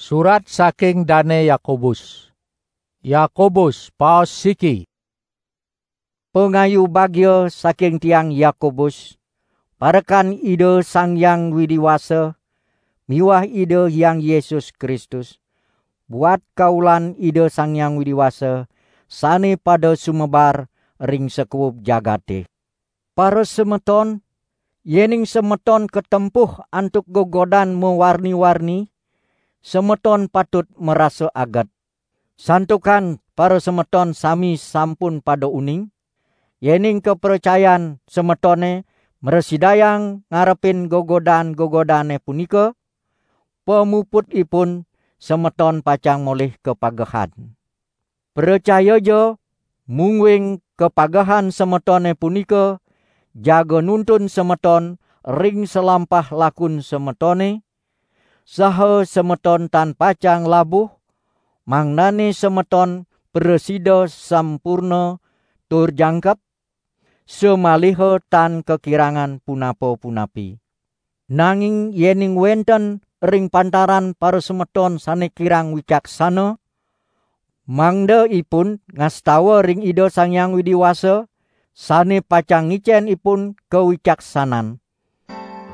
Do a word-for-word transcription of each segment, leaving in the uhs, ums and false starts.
Surat saking Dane Yakobus. Yakobus, paos siki. Pangayu bagia saking tiang Yakobus, parekan Ida Sang Hyang Widi Wasa miwah Ida Hyang Yesus Kristus, buat kaulan Ida Sang Hyang Widi Wasa sane pada sumebar ring sakuub jagate. Para semeton, yening semeton katempuh antuk gegodan mawarni-warni, semeton patut marasa aget. Santukan para semeton sami sampun pada uning, yening kapracayan semetone mrasidayang ngarepin gegodan-gegodane punika, pamuputipun semeton pacang molih kapagehan. Pracayaja, mungguing kapagehan semetone punika jaga nuntun semeton ring salampah lakun semetone, saha semeton tan pacang labuh, mangdane semeton prasida sampurna tur jangkep, samaliha tan kakirangan punapa-punapi. Nanging yening wenten ring pantaran parasemeton sane kirang wicaksana, mangda ipun ngastawa ring Ida Sang Hyang Widi Wasa, sane pacang ngicen ipun kawicaksanan.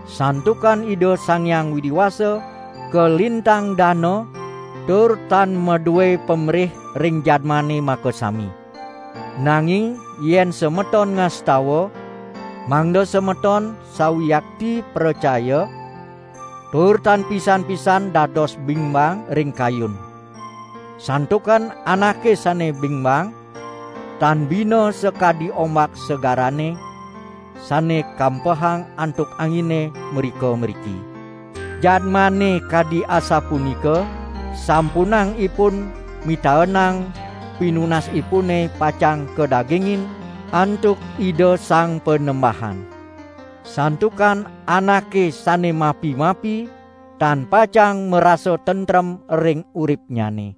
Santukan Ida Sang Hyang Widi Wasa kalintang dana, tur tan madue pamrih ring jadmane makasami. Nanging yen semeton ngastawa, mangda semeton sawiakti pracaya, tur tan pisan-pisan dados bingbang ring kayun. Santukan anake sane bingbang, tan bina sakadi ombak segarane, sane kampehang antuk angine mrika-mriki. Jadmane kadi asapunika, sampunang ipun mitaenang pinunasipune pacang kadagingin antuk Ida Sang Panembahan. Santukan anake sane mapi-mapi tan pacang marasa tentrem ring uripnyane.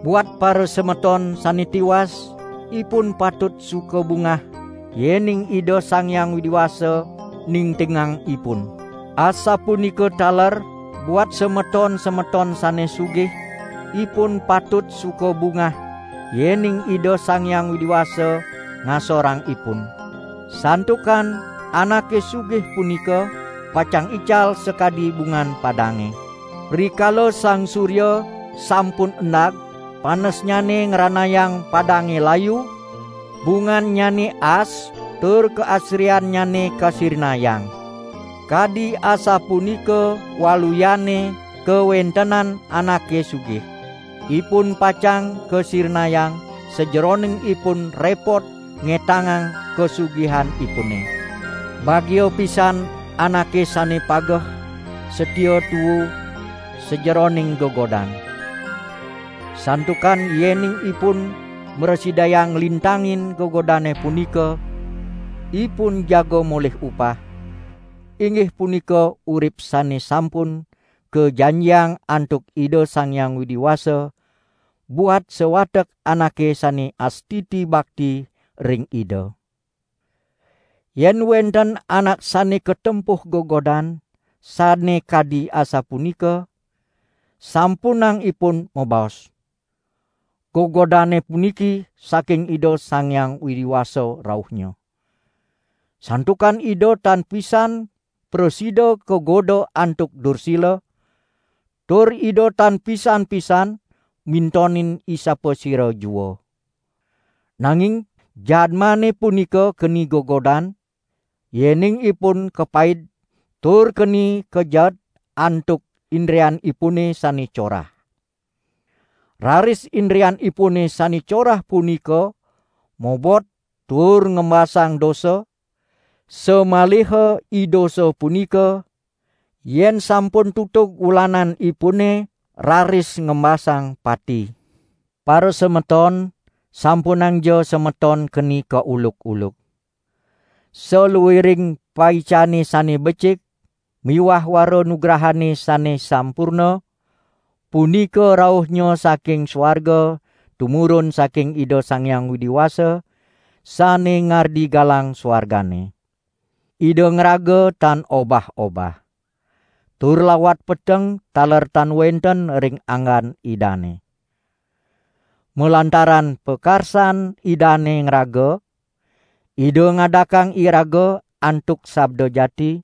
Buat parasemeton sane tiwas, ipun patut suka bungah, yening Ida Sang Hyang Widi Wasa ningtingang ipun. Asapunika taler buat semeton-semeton sane sugih, ipun patut suka bungah, yening Ida Sang Hyang Widi Wasa ngasorang ipun. Santukan anake sugih punika pacang ical sakadi bungan padange. Rikala sang surya sampun endag, panesnyane ngranayang padange layu, bungannyane as, tur kaasriannyane kasirinayang. Kadi asapunika waluyane kawentenan anake sugih. Ipun pacang kasirinayang sajeroning ipun repot ngetangang kasugihanipune. Bagia pisan anake sane pageh, satia tuu sajeroning gegodan. Santukan yening ipun mrasidayang nglintangin gegodane punika, ipun jaga molih upah, inggih punika urip sane sampun kajanjiang antuk Ida Sang Hyang Widi Wasa, buat sawatek anake sane astiti bakti ring Ida. Yen wenten anak sane katempuh gegodan sane kadi asapunika, sampunang ipun mabaos, "Gegodane puniki saking Ida Sang Hyang Widi Wasa rauhnya." Santukan Ida tan pisan prasida kagoda antuk dursila, tur Ida tan pisan-pisan mintonin isapasira jua. Nanging jadmane punika keni gegodan, yening ipun kapaid tur keni kajaet antuk indrianipune sane corah. Raris indrianipune sane corah punika mobot tur ngembasang dosa, samaliha i dosa punika, yen sampun tutug wulananipune, raris ngembasang pati. Parasemeton, sampunangja semeton keni kauluk-uluk. Saluiring paicane sane becik miwah wara nugrahane sane sampurna, punika rauhnya saking suarga tumurun saking Ida Sang Hyang Widi Wasa, sane ngardi galang suargane. Ida ngraga tan obah-obah. tur lawat peteng taler tan wenten ring anggan Idane. Malantaran pakarsan Idane ngraga, Ida ngadakang iraga antuk sabda jati,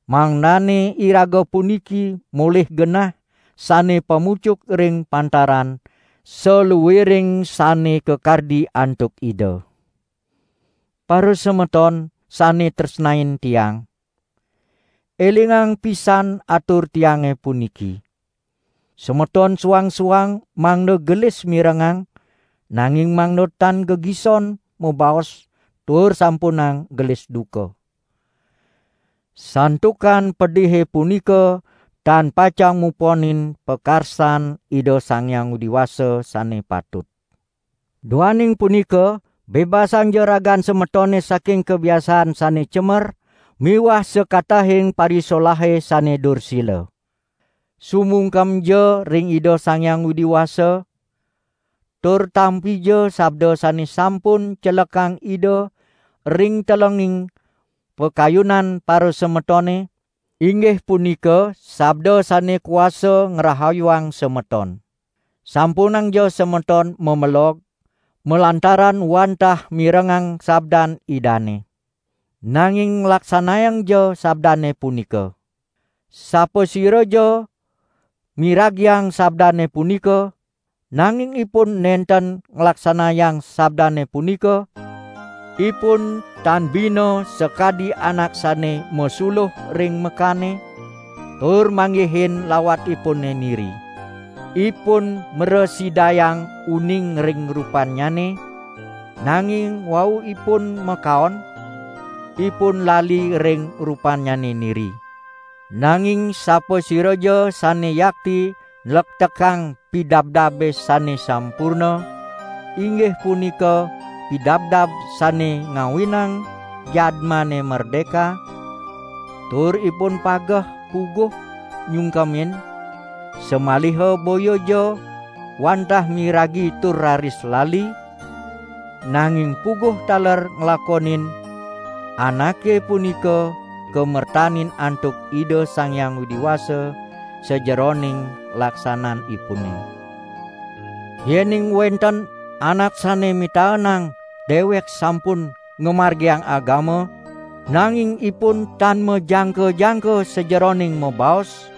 mangdane iraga puniki molih genah sane pamucuk ring pantaran saluiring sane kakardi antuk Ida. Parasemeton sane tresnain tiang, elingang pisan atur tiange puniki. Semeton suang-suang mangda gelis mirengang, nanging mangda tan gegison mabaos tur sampunang gelis duka. Santukan pedihe punika tan pacang muponin pakarsan Ida Sang Hyang Widi Wasa sane patut. Duaning punika, bebasangja ragan semetone saking kabiasaan sane cemer miwah sakatahing parisolahe sane dursila. Sumungkemja ring Ida Sang Hyang Widi Wasa, tur tampija sabda sane sampun celekang Ida ring telenging pakayunan parasemetone, inggih punika sabda sane kuasa ngrahayuang semeton. Sampunangja semeton mamelog malantaran wantah mirengang sabdan Idane. Nanging nglaksanayangja sabdane punika. Sapasiraja miragiang sabdane punika, nanging ipun nenten nglaksanayang sabdane punika, ipun tan bina sakadi anak sane masuluh ring mekane, tur manggihin lawatipune niri. Ipun mrasidayang uning ring rupannyane, nanging wau ipun makaon, ipun lali ring rupannyane niri. Nanging sapasiraja sane yakti nlektekang pidabdabe sane sampurna, inggih punika pidabdab sane ngawinang jadmane merdeka, tur ipun pageh puguh nyungkemin, samaliha boyaja wantah miragi tur raris lali, nanging puguh taler nglakonin, anake punika kamertanin antuk Ida Sang Hyang Widi Wasa sajeroning laksananipune. Yening wenten anak sane mitaenang dewek sampun ngamargiang agama, nanging ipun tan majangka-jangka sajeroning mabaos,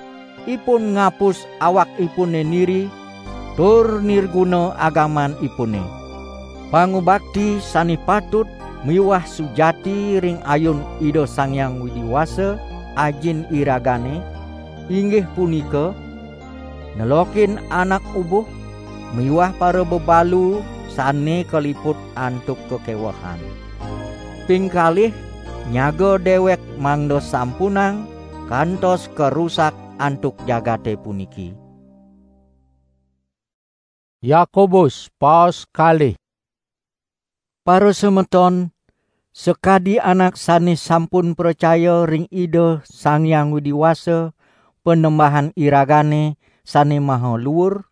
ipun ngapus awakipune niri, tur nirguna agamanipune. Pangubakti sane patut miwah sujati ring ayun Ida Sang Hyang Widi Wasa, Ajin iragane, inggih punika, nelokin anak ubuh miwah parabebalu sane kaliput antuk kakewehan. Ping kalih, nyaga dewek mangda sampunang kantos karusak antuk jagate puniki. Yakobus, paos kalih. Parasemeton, sakadi anak sane sampun pracaya ring Ida Sang Hyang Widi Wasa, Panembahan iragane sane maha luur,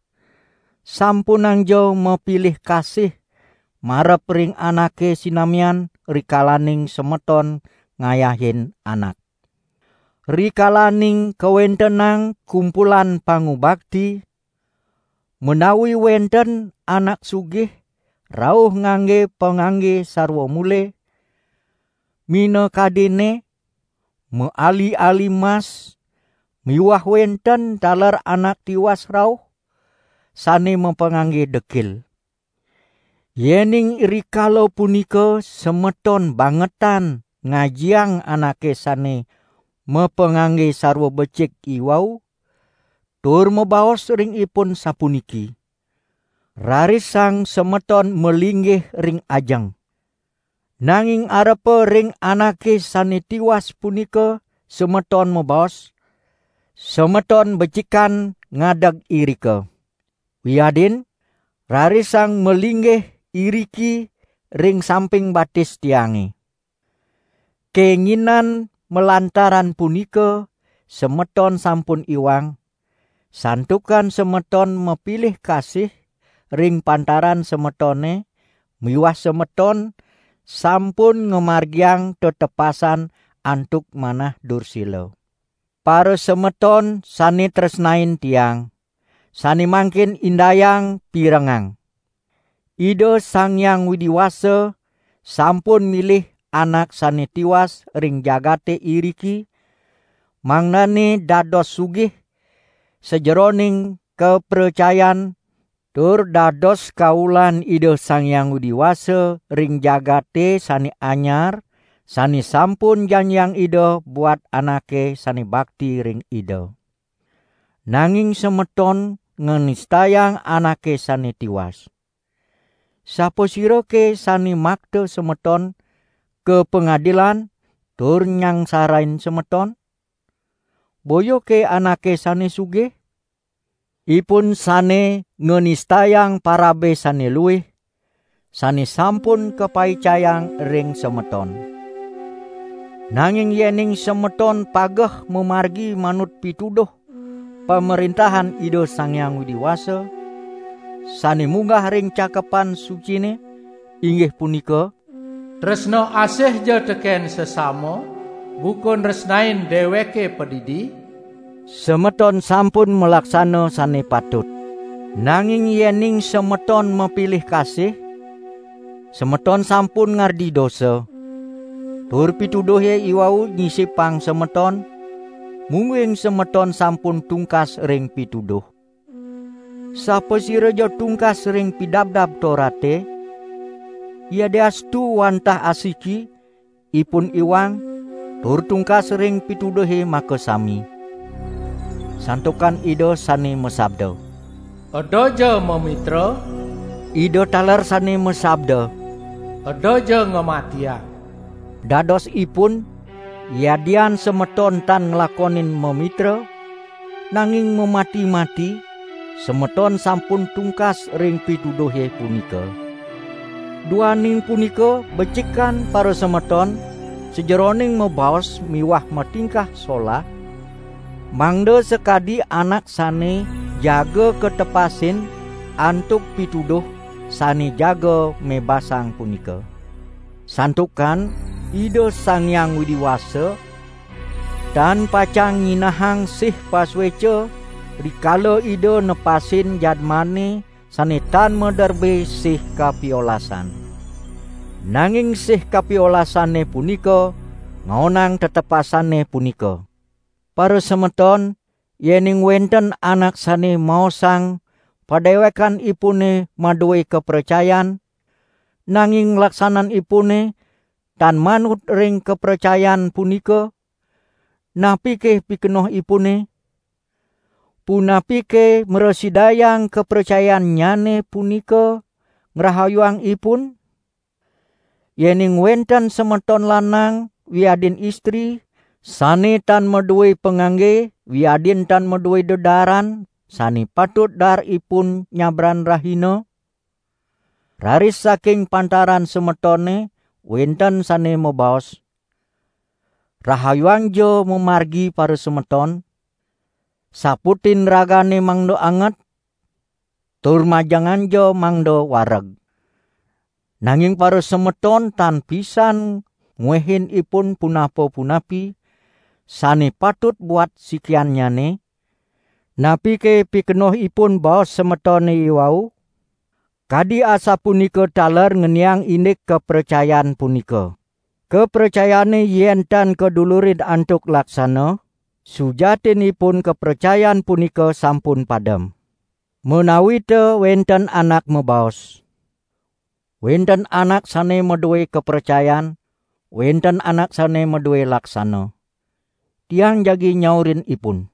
sampunangja mapilih kasih marep ring anake sinamian rikalaning semeton ngayahin anak. Rikalaning kawentenang kumpulan pangubakti, menawi wenten anak sugih rauh ngangge pangangge sarwa mule, minakadinne maali-ali mas, miwah wenten taler anak tiwas rauh sane mapangangge dekil. Yening rikala punika semeton bangetan ngajiang anake sane mapangangge sarwa becik iwau, tur mabaos ring ipun sapuniki: "Rarisang semeton malinggih ring ajeng." Nanging arepa ring anake sane tiwas punika semeton mabaos, "Semeton becikan ngadeg irika." Wiadin, rarisang malinggih iriki ring samping batis tiange. Kenginan malantaran punika semeton sampun iwang, santukan semeton mapilih kasih ring pantaran semetone miwah semeton sampun ngamargiang tetepasan antuk manah dursila. Parasemeton sane tresnain tiang, sane mangkin indayang pirengang. Ida Sang Hyang Widi Wasa sampun milih anak sane tiwas ring jagate iriki, mangdane dados sugih sajeroning kapracayan, tur dados kaulan Ida Sang Hyang Widi Wasa ring jagate sane anyar, sane sampun janjiang Ida buat anake sane bakti ring Ida. Nanging semeton nganistayang anake sane tiwas. Sapasirake sane makta semeton ka pangadilan tur nyangsarain semeton? Boyake anake sane sugih? Ipun sane nganistayang parabe sane luih, sane sampun kapaicayang ring semeton. Nanging yening semeton pageh mamargi manut pituduh Pamrentahan Ida Sang Hyang Widi Wasa, sane munggah ring Cakepan Sucine, inggih punika, "Tresna asih ja teken sesama, buka nresnain deweke padidi," semeton sampun malaksana sane patut. Nanging yening semeton mapilih kasih, semeton sampun ngardi dosa, tur pituduhe iwau nyisipang semeton, mungguing semeton sampun tungkas ring pituduh. Sapasira ja tungkas ring Pidabdab Torate, yadiastu wantah asiki, ipun iwang, tur tungkas ring pituduhe makasami. Santukan Ida sane masabda, "Eda ja mamitra," Ida taler sane masabda, "Eda ja ngamatiang." Dados ipun, yadian semeton tan nglakonin mamitra, nanging mamati-mati, semeton sampun tungkas ring pituduhe punika. Duaning punika, becikan parasemeton sajeroning mabaos miwah matingkah solah, mangda sakadi anak sane jaga katepasin antuk pituduh sane jaga mebasang punika. Santukan Ida Sang Hyang Widi Wasa tan pacang nyinahang sih pasueca rikala Ida nepasin jadmane sane tan maderbe sih kapiolasan. Nanging sih kapiolasane punika ngaonang tetepasane punika. Parasemeton, yening wenten anak sane maosang padewekanipune madue kapracayan, nanging laksananipune tan manut ring kapracayan punika, napike pikenohipune? Punapike mrasidayang kapracayannyane punika ngrahayuang ipun? Yening wenten semeton lanang wiadin istri sane tan madue pangangge wiadin tan madue dedaaran sane patut daar ipun nyabran rahina, raris saking pantaran semetone wenten sane mabaos, "Rahayuang ja mamargi parasemeton, saputin ragane mangda anget, tur majengan ja mangda wareg." Nanging parasemeton tan pisan ngwehin ipun punapa-punapi sane patut buat sikiannyane, napike pikenohipun baos semetone iwau? Kadi asapunika taler ngeniang indik kapracayan punika. Kapracayane yen tan kadulurin antuk laksana, sujatinipun kapracayan punika sampun padem. Menawita wenten anak mabaos, "Wenten anak sane madue kapracayan, wenten anak sane madue laksana." Tiang jagi nyaurin ipun,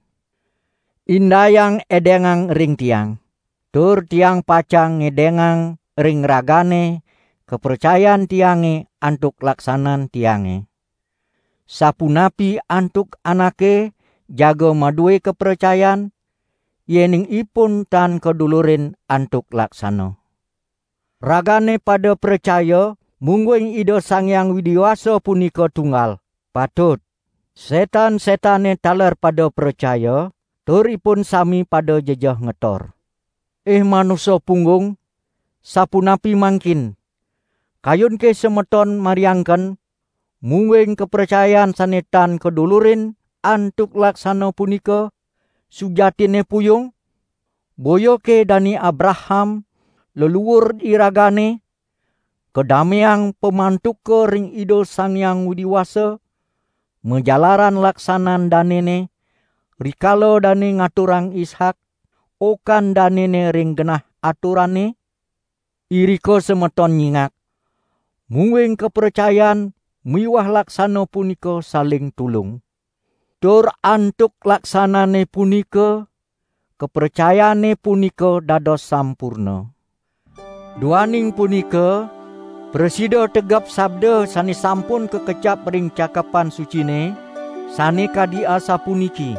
"Indayang edengang ring tiang, tur tiang pacang ngedengang ring ragane kapracayan tiange antuk laksanan tiange. Sapunapi antuk anake jaga madue kapracayan, yening ipun tan kadulurin antuk laksana?" Ragane pada pracaya, mungguing Ida Sang Hyang Widi Wasa punika tunggal. Patut. Setan-setane taler pada pracaya, tur ipun sami pada jejeh ngetor. "Ih manusa punggung, sapunapi mangkin? Kayun ke semeton mariangken, mungguing kapracayan sane tan kadulurin antuk laksana punika sujatinne puyung? Boyake Dane Abraham, leluur iragane, kadameang pamantuka ring Ida Sang Hyang Widi Wasa, majalaran laksanan danene, rikala dane ngaturang Ishak, okan danene ring genah aturane? Irika semeton nyingak, mungguing kapracayan miwah laksana punika saling tulung. Tur antuk laksanane punika, kapracayane punika dados sampurna. Duaning punika, prasida tegep sabda sane sampun kakecap ring Cakepan Sucine, sane kadi asapuniki: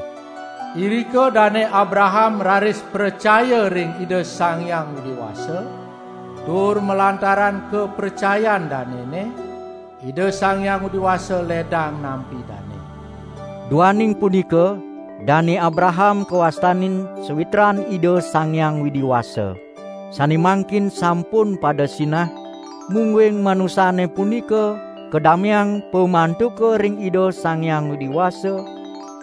Irika Dane Abraham raris pracaya ring Ida Sang Hyang Widi Wasa, tur malantaran kapracayan danene, Ida Sang Hyang Widi Wasa ledang nampi dane. Duaning punika, Dane Abraham kawastanin sawitran Ida Sang Hyang Widi Wasa, sane mangkin sampun pada sinah, mungguing manusane punika kadameang pamantuka ring Ida Sang Hyang Widi Wasa,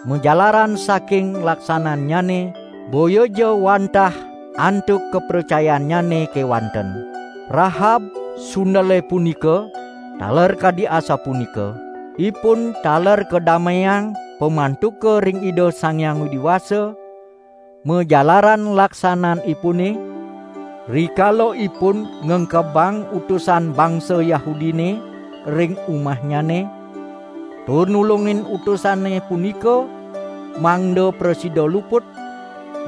majalaran saking laksanannyane, boya ja wantah antuk kapracayannyane kewanten. Rahab sundele punika taler kadi asapunika, ipun taler kadameang pamantuka ring Ida Sang Hyang Widi Wasa, majalaran laksananipune, rikala ipun ngengkebang utusan bangsa Yahudine ring umahnyane, tur nulungin utusane punika mangda prasida luput,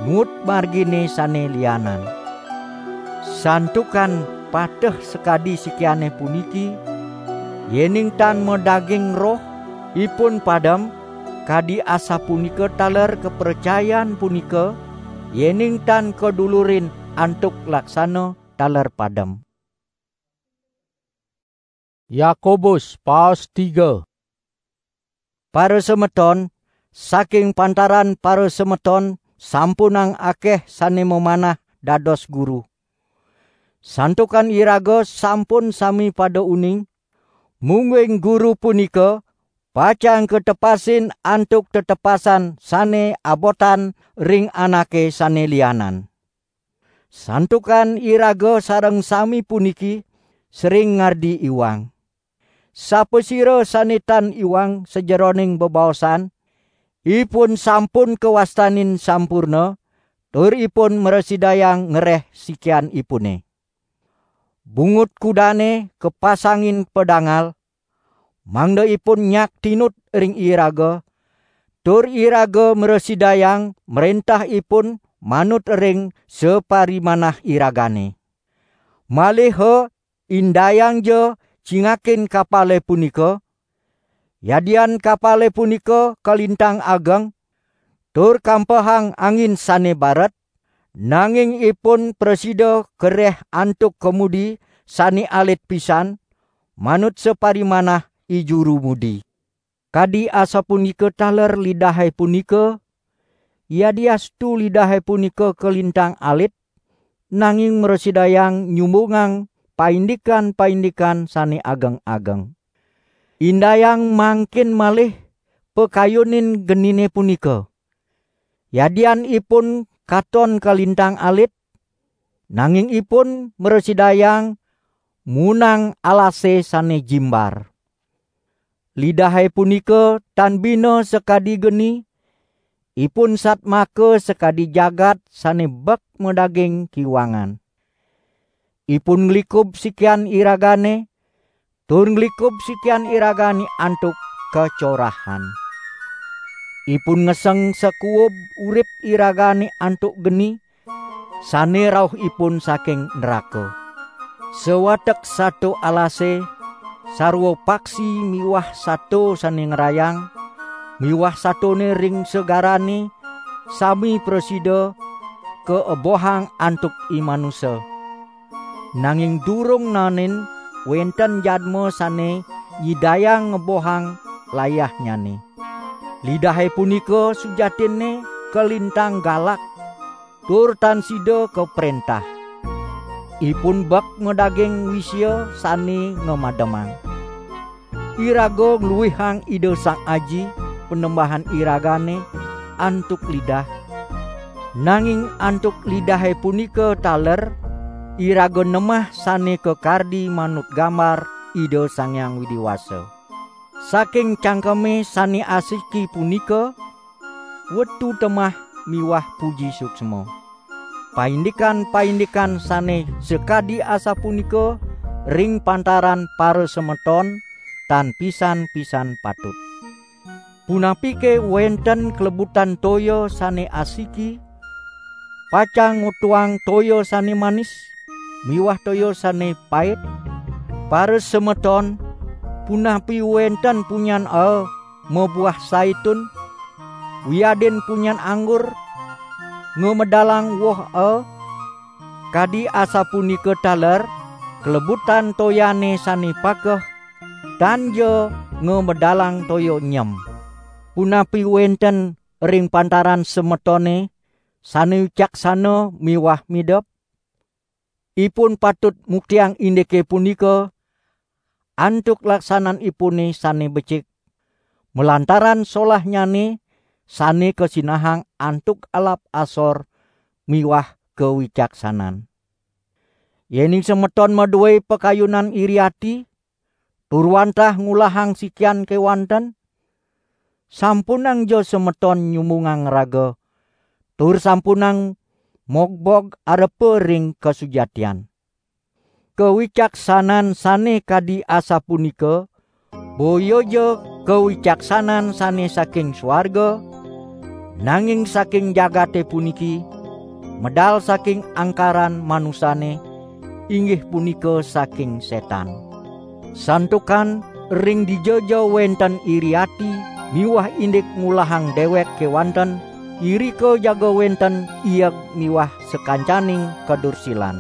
nuut margine sane lianan. Santukan pateh sakadi sikiane puniki, yening tan madaging roh, ipun padem, kadi asapunika taler kapracayan punika, yening tan kadulurin antuk laksana taler padem. Yakobus, paos tiga. Parasemeton, saking pantaran parasemeton sampunang akeh sane mamanah dados guru. Santukan iraga sampun sami pada uning, mungguing guru punika pacang katepasin antuk tetepasan sane abotan ring anake sane lianan. Santukan iraga sareng sami puniki sering ngardi iwang. Sapasira sane tan iwang sajeroning bebaosan, ipun sampun kawastanin sampurna, tur ipun mrasidayang ngereh sikianipune. Bungut kudane kapasangin padangal, mangda ipun nyak tinut ring iraga, tur iraga mrasidayang mrentah ipun manut ring saparimanah iragane. Maliha indayang ja cingakin kapale punika, yadian kapale punika kalintang ageng, tur kampehang angin sane baret, nanging ipun prasida kereh antuk kemudi sane alit pisan, manut saparimanah i juru mudi. Kadi asapunika taler lidahe punika, yadiastu lidahe punika kalintang alit, nanging mrasidayang nyumbungang paindikan-paindikan sane ageng-ageng. Indayang mangkin malih pakayunin genine punika. Yadian ipun katon kalintang alit, nanging ipun mrasidayang munang alase sane jimbar. Lidahe punika tan bina sakadi geni, ipun satmaka sakadi jagat sane bek madaging kiwangan. Ipun nglikub sikian iragane, tur nglikub sikian iragane antuk kacorahan. Ipun ngeseng sakuub urip iragane antuk geni, sane rauhipun saking neraka. Sawatek sato alase, sarwa paksi miwah sato sane ngrayang, miwah satone ring segarane, sami prasida kaebohang antuk i manusa. Nanging durung naenin wenten jadma sane nyidayang ngebohang layahnyane. Lidahe punika sujatinne kalintang galak, tur tan sida kaprentah. Ipun bek madaging wisia sane ngamademang. Iraga ngluihang Ida Sang Aji, panembahan iragane antuk lidah, nanging antuk lidahe punika taler iraga nemah sane kakardi manut gambar Ida Sang Hyang Widi Wasa. Saking cangkeme sane asiki punika, wetu temah miwah puji suksma. Paindikan-paindikan sane sakadi asapunika ring pantaran parasemeton tan pisan-pisan patut. Punapike wenten klebutan toya sane asiki, pacang ngutuang toya sane manis, miwah toya sane pait? Parasemeton, punapi wenten punyan aa mabuah saitun, wiadin punyan anggur ngamedalang woh aa? Kadi asapunika taler klebutan toyane sane pakeh, tan ja ngamedalang toya nyem. Punapi wenten ring pantaran semetone sane wicaksana miwah midep? Ipun patut muktiang indike punika antuk laksananipune sane becik, malantaran solahnyane sane kasinahang antuk alap asor miwah kawicaksanan. Yening semeton madue pakayunan iri ati, tur wantah ngulahang sikian kewanten, sampunang ja semeton nyumbungang raga, tur sampunang mogbog arepa ring kasujatian. Kawicaksanan sane kadi asapunika boya ja kawicaksanan sane saking swarga, nanging saking jagate puniki, medal saking angkaran manusane, inggih punika saking setan. Santukan ring dija ja wenten iri ati miwah indik ngulahang dewek kewanten, irika jaga wenten ieg miwah sakancaning kadursilan.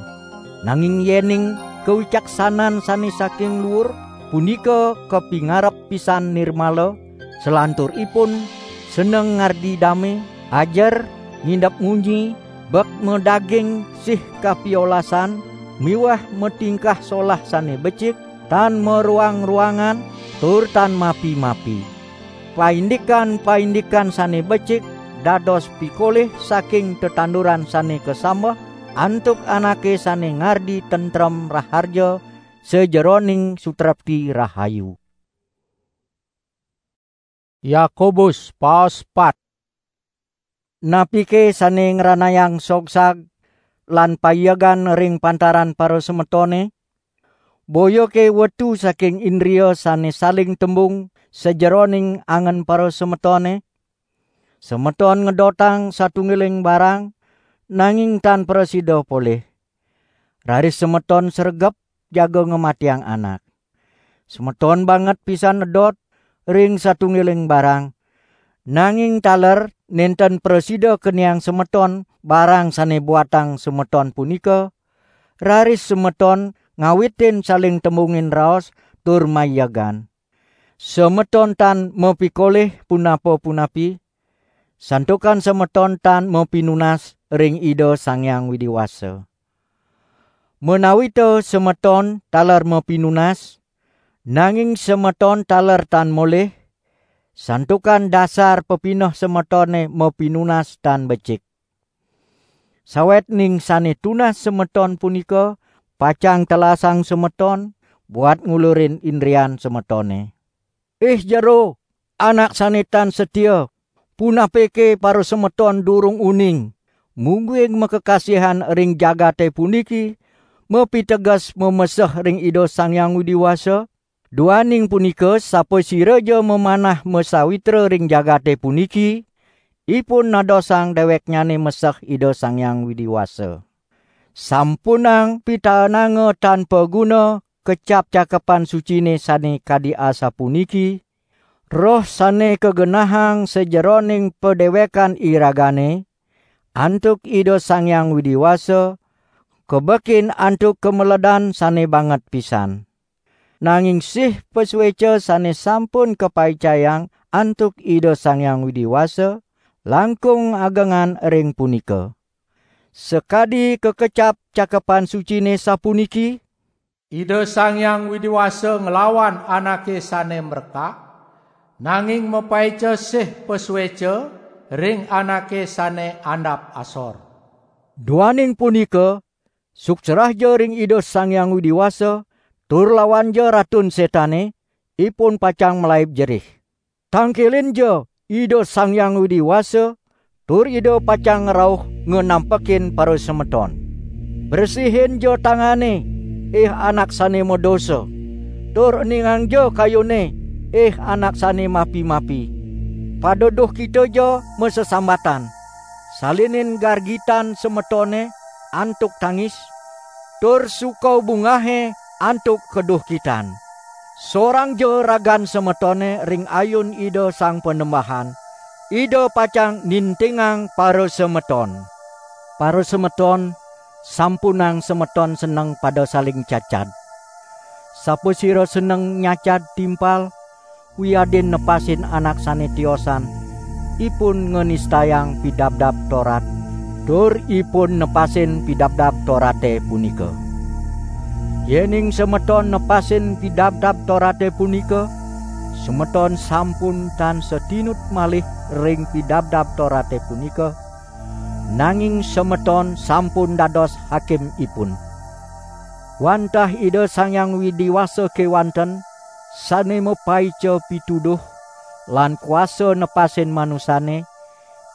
Nanging yening kawicaksanan sane saking luur punika kapingarep pisan nirmala, salanturipun seneng ngardi dame, ajer, ngindep ngunyi, bek madaging sih kapiolasan, miwah matingkah solah sane becik, tan maruang-ruangan, tur tan mapi-mapi. Paindikan-paindikan sane becik dados pikolih saking tetanduran sane kasambeh antuk anake sane ngardi tentrem raharja sajeroning sutrepti rahayu. Yakobus paos pat. Napike sane ngranayang sogsag lan paiegan ring pantaran parasemetone? Boyake wetu saking indria sane saling tembung sajeroning angen parasemetone? Semeton ngedotang satunggiling barang, nanging tan prasida polih. Raris semeton sregep jaga ngamatiang anak. Semeton banget pisan edot ring satunggiling barang, nanging taler nenten prasida keniang semeton barang sane buatang semeton punika, raris semeton ngawitin saling tembungin raos tur maiegan. Semeton tan mapikolih punapa-punapi, santukan semeton tan mapinunas ring Ida Sang Hyang Widi Wasa. Menawita semeton taler mapinunas, nanging semeton taler tan molih, santukan dasar pepineh semetone mapinunas tan becik. Sawetning sane tunas semeton punika pacang telasang semeton buat ngulurin indrian semetone. Ih jero, anak sane tan setia, punapike parasemeton durung uning, mungguing makakasihan ring jagate puniki, mapiteges mameseh ring Ida Sang Hyang Widi Wasa? Duaning punika, sapasiraja mamanah masawitra ring jagate puniki, ipun nadosang deweknyane meseh Ida Sang Hyang Widi Wasa. Sampunang pitaenanga tan paguna kecap Cakepan Sucine sane kadi asapuniki, "Roh sane kagenahang sajeroning padewekan iragane antuk Ida Sang Hyang Widi Wasa, kabekin antuk kameledan sane banget pisan." Nanging sih pasueca sane sampun kapaicayang antuk Ida Sang Hyang Widi Wasa, langkung agengan ring punika. Sakadi kakecap Cakepan Sucine sapuniki, "Ida Sang Hyang Widi Wasa nglawan anake sane mrekak, Nanging mapaica sih pasueca ring anake sane andap asor. Duaning punika, sukserahja ring Ida Sang Hyang Widi Wasa, tur lawanja Ratun Setane, ipun pacang malaib jerih. Tangkilinja Ida Sang Hyang Widi Wasa, tur Ida pacang ngrauh nganampekin parasemeton. Bresihinja tangane, ih anak sane madosa, tur eningangja kayune, ih anak sane mapi-mapi. Pada duhkitaja masesambatan, salinin gargitan semetone antuk tangis, tur suka bungahe antuk kaduhkitan. Sorangja ragan semetone ring ayun Ida Sang Panembahan, Ida pacang nintingang parasemeton. Parasemeton, sampunang semeton seneng pada saling cacad. Sapasira seneng nyacad timpal, wiadin nepasin anak sane tiosan, ipun nganistayang Pidabdab Torat, tur ipun nepasin Pidabdab Torate punika. Yening semeton nepasin Pidabdab Torate punika, semeton sampun tan satinut malih ring Pidabdab Torate punika, nanging semeton sampun dados hakimipun. Wantah Ida Sang Hyang Widi Wasa kewanten, sane mapaica pituduh lan kuasa nepasin manusane,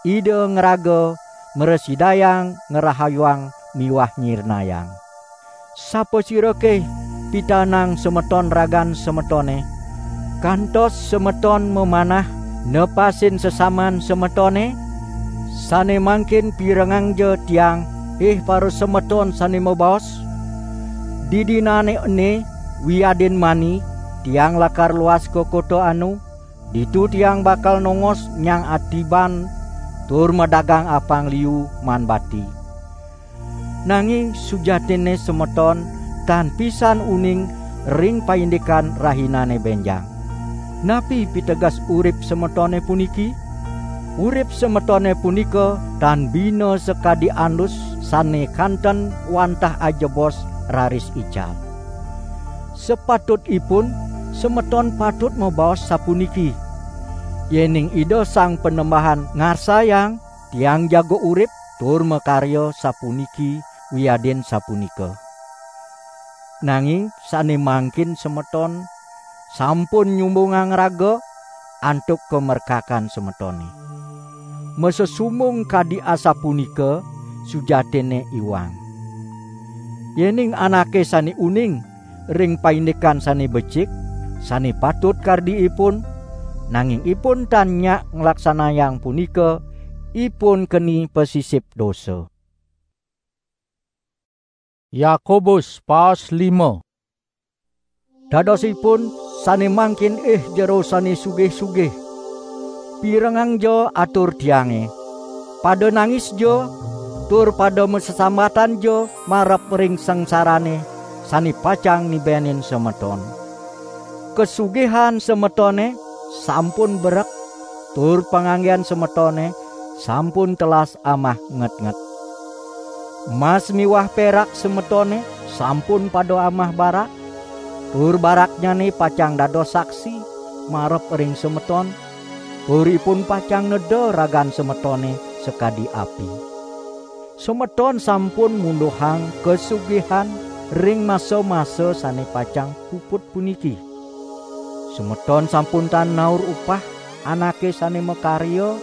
Ida ngraga mrasidayang ngrahayuang miwah nyirnayang. Sapasirake pitanang semeton ragan semetone, kantos semeton mamanah nepasin sesaman semetone? Sane mangkin pirengangja tiang, ih parasemeton sane mabaos, "Didinane ene wiadin mani tiang lakar luas ka kota anu, ditu tiang bakal nongos nyang atiban tur madagang apang liu maan bati." Nanging sujatinne semeton tan pisan uning ring paindikan rahinane benjang. Napi piteges urip semetone puniki? Urip semetone punika tan bina sakadi andus sane kanten wantah ajebos raris ical. Sapatutipun semeton patut mabaos sapuniki: "Yening Ida Sang Panembahan ngarsayang, tiang jaga urip tur makarya sapuniki wiadin sapunika." Nanging sane mangkin semeton sampun nyumbungang raga antuk kamerkakan semetone. Masesumbung kadi asapunika sujatinne iwang. Yening anake sane uning ring paindikan sane becik, sane patut kardi ipun, nanging ipun tan nyak nglaksanayang punika, ipun keni pasisip dosa. Yakobus pasal lima. Dadosipun sane mangkin ih jero sane sugih-sugih, pirengangja atur tiange. Pada nangisja, tur pada masesambatanja marep ring sangsarane sane pacang nibenin semeton. Kasugihan semetone sampun berek, tur panganggen semetone sampun telas amah ngetnget. Mas miwah perak semetone sampun pada amah barak, tur baraknyane pacang dados saksi marep ring semeton, tur ipun pacang neda ragan semetone sakadi api. Semeton sampun munduhang kasugihan ring masa-masa sane pacang puput puniki. Semeton sampun tan naur upah anake sane makarya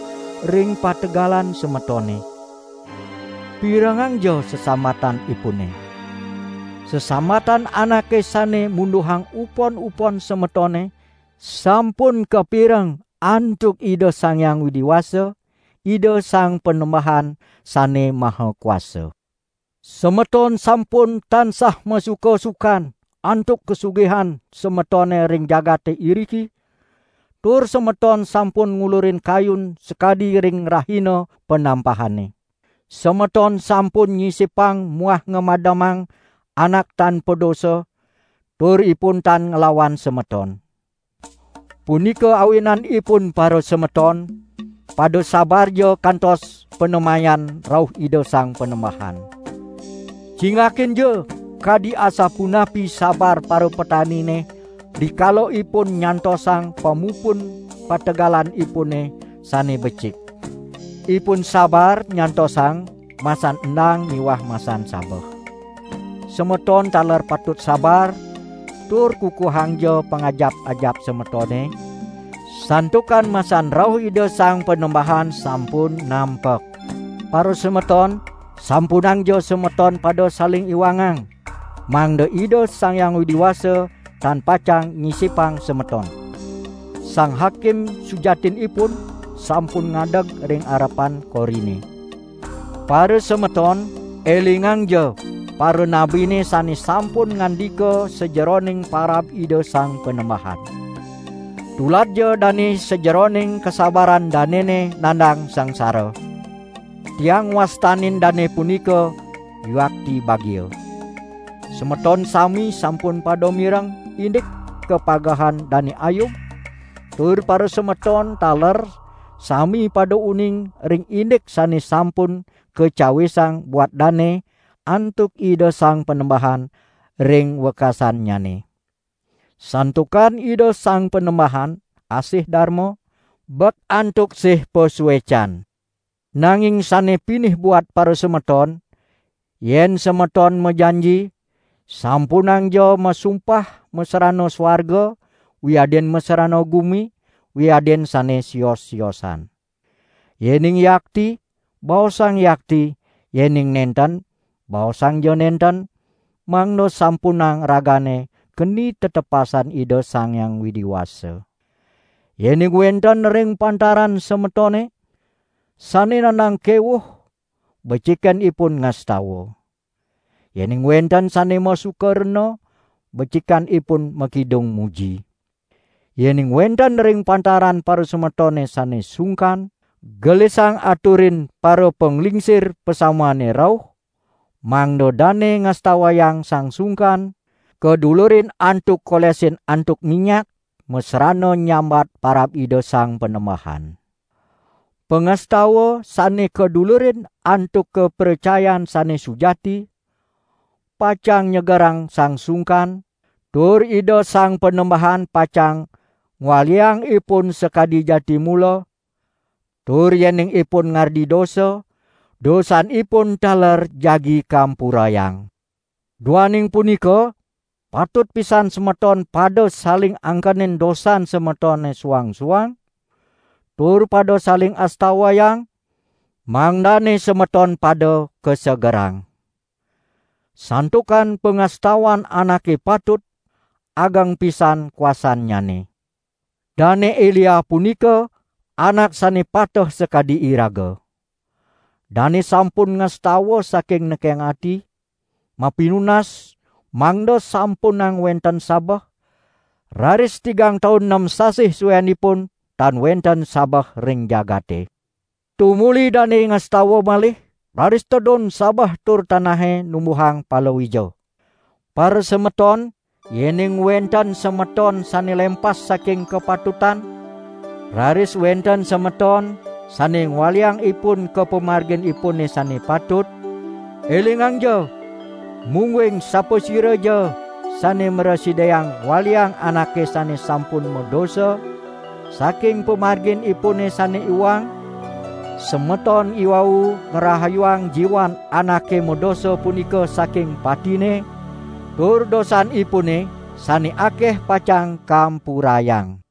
ring pategalan semetone. Pirengangja sesambatanipune. Sesambatan anake sane munduhang upon-upon semetone sampun kapireng antuk Ida Sang Hyang Widi Wasa, Ida Sang Panembahan sane maha kuasa. Semeton sampun tansah masuka-sukan antuk kasugihan semetone ring jagate iriki, tur semeton sampun ngulurin kayun sakadi ring rahina panampahane. Semeton sampun nyisipang muah ngamademang anak tan padosa, tur ipun tan nglawan semeton. Punika awinanipun, parasemeton, pada sabarja kantos panemayan rauh Ida Sang Panembahan. Cingakinja kadi asapunapi sabar parapetanine, dikala ipun nyantosang pamupun pategalanipune sane becik. Ipun sabar nyantosang masan endang miwah masan sabeh. Semeton taler patut sabar, tur kukuhangja pangajap-ajap semetone, santukan masan rauh Ida Sang Panembahan sampun nampek. Para semeton, sampunangja semeton pada saling iwangang, mangda Ida Sang Hyang Widi Wasa tan pacang nyisipang semeton. Sang Hakim sujatinipun sampun ngadeg ring arepan korine. Para semeton, elingangja para nabine sane sampun ngandika sajeroning parab Ida Sang Panembahan. Tuladja dane sajeroning kasabaran danene nandang sangsara. Tiang wastanin dane punika yuakti bagia. Semeton sami sampun pada mireng indik kapagehan Dane Ayub, tur para semeton taler sami pada uning ring indik sane sampun kacawisang buat dane antuk Ida Sang Panembahan ring wekasannyane. Santukan Ida Sang Panembahan asih darma, bek antuk sih pasuecan. Nanging sane pinih buat para semeton, yen semeton majanji, sampunangja masumpah masrana swarga, wiadin masrana gumi, wiadin sane sios-siosan. Yening yakti, baosang yakti, yening nenten, baosangja nenten, mangda sampunang ragane keni tetepasan Ida Sang Hyang Widi Wasa. Yening wenten ring pantaran semetone, sane nandang kewuh, becikan ipun ngastawa. Yening wenten sane masuka rena, becikan ipun makidung muji. Yening wenten ring pantaran parasemetone sane sungkan, gelisang aturin parapanglingsir pasamane rauh, mangda dane ngastawayang sang sungkan, kadulurin antuk kolesin antuk minyak, masrana nyambat parab Ida Sang Panembahan. Pangastawa sane kadulurin antuk kapracayan sane sujati, pacang nyegerang sang sungkan, tur Ida Sang Panembahan pacang ngwaliang ipun sakadi jati mula, tur yening ipun ngardi dosa, dosanipun taler jagi kampurayang. Duaning punika, patut pisan semeton pada saling angkenin dosan semetone suang-suang, tur pada saling astawayang, mangdane semeton pada kasegerang. Santukan pangastawan anake patut, ageng pisan kuasannyane. Dane Elia punika anak sane pateh sakadi iraga. Dane sampun ngastawa saking nekeng ati, mapinunas, mangda sampunang wenten sabeh, raris tigang taun nem sasih suenipun tan wenten sabeh ring jagate. Tumuli dane ngastawa malih, raris tedun sabeh tur tanahe numbuhang palawija. Parasemeton, yening wenten semeton sane lempas saking kapatutan, raris wenten semeton sane ngwaliang ipun ka pamarginipune sane patut, elingangja, mungguing sapasiraja sane mrasidayang ngwaliang anake sane sampun madosa, saking pamarginipune sane iwang, semeton iwau ngrahayuang jiwan anake madosa punika saking patine, tur dosanipune sane akeh pacang kampurayang.